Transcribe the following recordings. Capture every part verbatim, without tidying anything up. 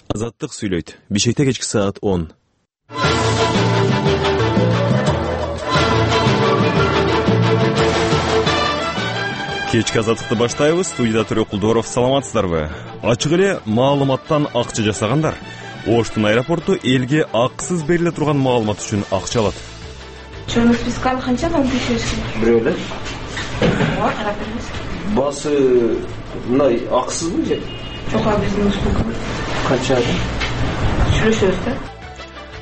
Азаттык сүйлөйт. Бишкекте кечки саат он. Кечки азаттыкты баштайбыз. Студияда Төрөк Кулдоров. Саламатсыздарбы? Ачык эле маалыматтан акча жасагандар Оштун аэропорту элге акысыз бериле турган маалымат үчүн акча алат. Чөнү списканы канчадан текшеришкен? Бирөө эле. Ооба, карап беребиз. Басы мындай акысызбы же? Жок, биздин спискы. Канчада? Сүйлөшөбүз да.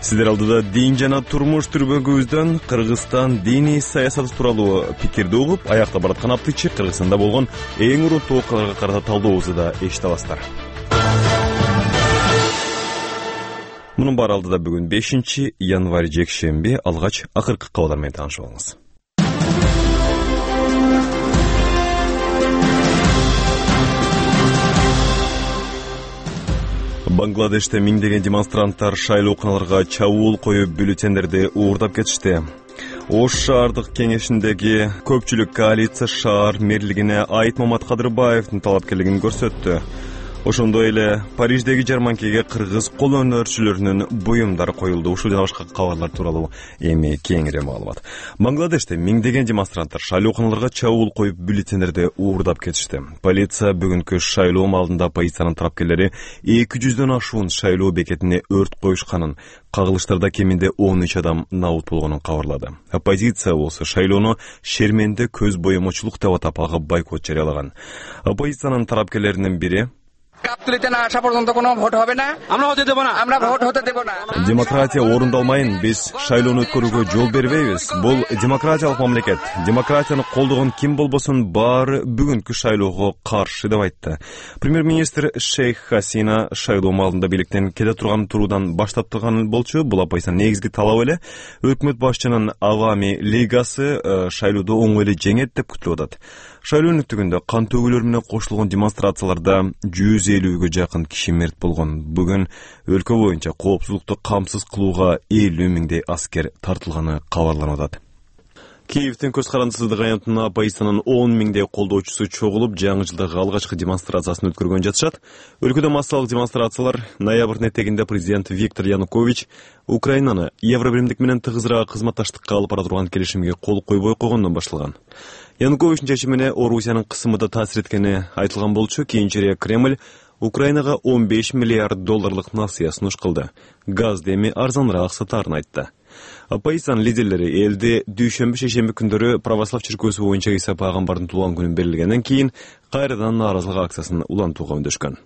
Сиздер алдыда дин жана турмуш түрбөгүбүздөн Кыргызстан диний саясаты тууралуу пикирди угуп, аякта бараткан аптычы Кыргызстанда болгон эң урунттуу окуяларга карата талдообузду да эшите аласыздар. Мунун баары алдыда бүгүн бешинчи январь жекшемби, алгач акыркы кабарлар менен таанышып алыңыз. Бангладеште миңдеген демонстранттар шайлоо куналарга чабуул коюп бюллетендерди уурдап кетишти. Ош шаардык кеңешиндеги көпчүлүк коалиция шаар мэрлигине Айтмамат Кадырбаевдин талапкерлигин көрсөттү. Ошондой эле Париждеги жарманкеге кыргыз кол өнөрчүлөрүнүн буюмдары коюлду. Ушул жана башка кабарлар тууралуу эми кеңири маалымат. Бангладеште миңдеген демонстранттар шайлоо куналарга чабуул коюп бюллетендерди уурдап кетишти. Полиция бүгүнкү шайлоо маалында оппозициянын тарапкерлери эки жүздөн ашуун шайлоо бекетине өрт коюшканын, кагылыштарда кеминде он үч адам набут болгонун кабарлады. Оппозиция болсо шайлоону шерменде көз боемочулук деп атап, ага бойкот жарыялаган. Оппозициянын тарапкерлеринин бири демократия орундалмайын, биз шайлоону өткөрүүгө жол бербейбиз. Бул демократиялык мамлекет. Демократияны колдогон ким болбосун баары бүгүнкү шайлоого каршы деп айтты. Премьер-министр Шейх Хасина шайлоо маалында бийликтен кете турган туруудан баш тарткан болчу. Бул оппозициянын негизги талабы эле. Өкмөт башчынын Авами лигасы шайлоодо оңой эле жеңет деп күтүлүп атат. Шайлоо өнүктүгүндө кан төгүүлөр менен кошулган демонстрацияларда жүз элүүгө жакын киши мерт болгон. Бүгүн өлкө боюнча коопсуздукту камсыз кылууга элүү миңдей аскер тартылганы кабарланып атат. Киевдин көз карандысыздык аянтына оппозициянын он миңдей колдоочусу чогулуп, жаңы жылдагы алгачкы демонстрациясын өткөргөн жатышат. Өлкөдө массалык демонстрациялар ноябрдын этегинде президент Виктор Янукович Украинаны Евробиримдик менен тыгызыраак кызматташтыкка алып бара турган келишимге кол койбой койгондон башталган. Януковичтин чечимине Орусиянын кысымы да таасир эткени айтылган болчу. Кийинчерээк Кремль Украинага он беш миллиард долларлык насыя сунуш кылды. Газды эми арзаныраак сатаарын айтты. Оппозициянын лидерлери элде дүйшөмбү шейшемби күндөрү православ чиркөөсү боюнча Иса пайгамбардын туулган күнүн белгилегенден кийин кайрадан нааразылык акциясын улантууга үндөшкөн.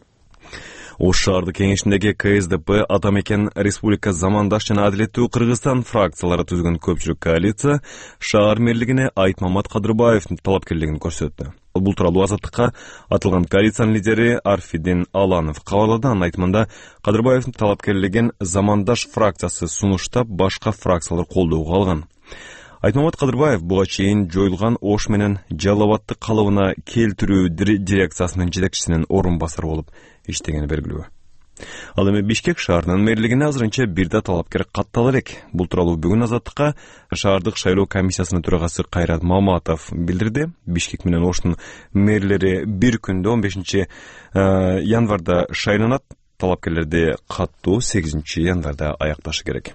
Ош шаардык кеңешиндеги Ка Эс Д П, Атамекен Республика Замандаш жана Адилеттүү Кыргызстан фракциялары түзгөн көпчүлүк коалиция шаар мэрлигине Айтмамат Кадырбаевдин талапкерлигин көрсөттү. Бул тууралуу Азаттыкка атылган коалициянын лидери Арфидин Аланов кабарлады. Анын айтымында Кадырбаевдин талапкерлигин Замандаш фракциясы сунуштап, башка фракциялар колдоого алган. Айтмамат Кадырбаев буга чейин жоюлган Ош менен Жалал Абадты калыбына келтирүү дирекциясынын жетекчисинин орун басары болуп иштегени белгилүү. Ал эми Бишкек шаарынын мэрлигине азырынча бир да талапкер каттала элек. Бул тууралуу бүгүн Азаттыкка шаардык шайлоо комиссиясынын төрагасы Кайрат Маматов билдирди. Бишкек менен Оштун мэрлери бир күндө он бешинчи январда шайланат. Талапкерлерди каттуу сегизинчи январда аякташы керек.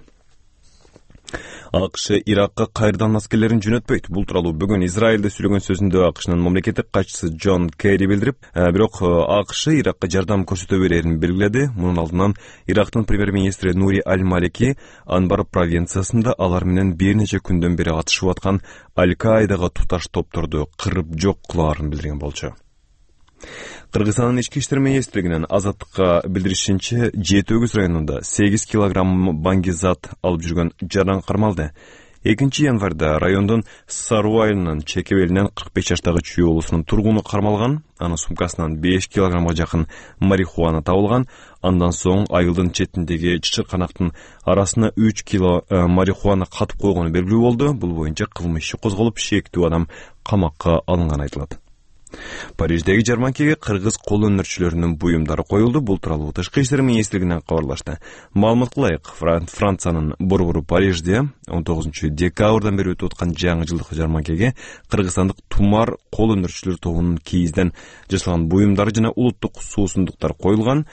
АКШ Иракка кайрадан аскерлерин жөнөтпөйт. Бул тууралуу бүгүн Израилде сүйлөгөн сөзүндө АКШнын мамлекеттик катчысы Джон Керри билдирип, бирок АКШ Иракка жардам көрсөтө берерин белгиледи. Мунун алдынан Ирактын премьер-министри Нури Аль-Малики Анбар провинциясында алар менен бир нече күндөн бери атышып аткан Аль-Каидага туташ топторду кырып жок кылаарын билдирген болчу. Кыргызстандын ички иштер министрлигинин Азаттыкка билдиришинче, Жети Өгүз районунда сегиз килограмм баңгизат алып жүргөн жаран кармалды. экинчи январда райондун Сару айылынын Чекебелинен кырк беш жаштагы Чүй болусунун тургуну кармалган. Анын сумкасынан беш килограммга жакын марихуана табылган. Андан соң айылдын четиндеги чычырканактын арасына үч кило марихуана катып койгону белгилүү болду. Бул боюнча кылмыш иши козголуп, шектүү адам камакка алынганы айтылат. Париждеги жарманкеге кыргыз кол өнөрчүлөрүнүн буюмдары коюлду. Бул тууралуу Тышкы иштер министрлигинен кабарлашты. Маалыматка ылайык, Франциянын борбору Парижде он тогузунчу декабрдан бери өтүп аткан жаңы жылдык жарманкеге кыргызстандык тумар кол өнөрчүлөр тобунун кийизден жасалган буюмдары жана улуттук суусундуктар коюлган.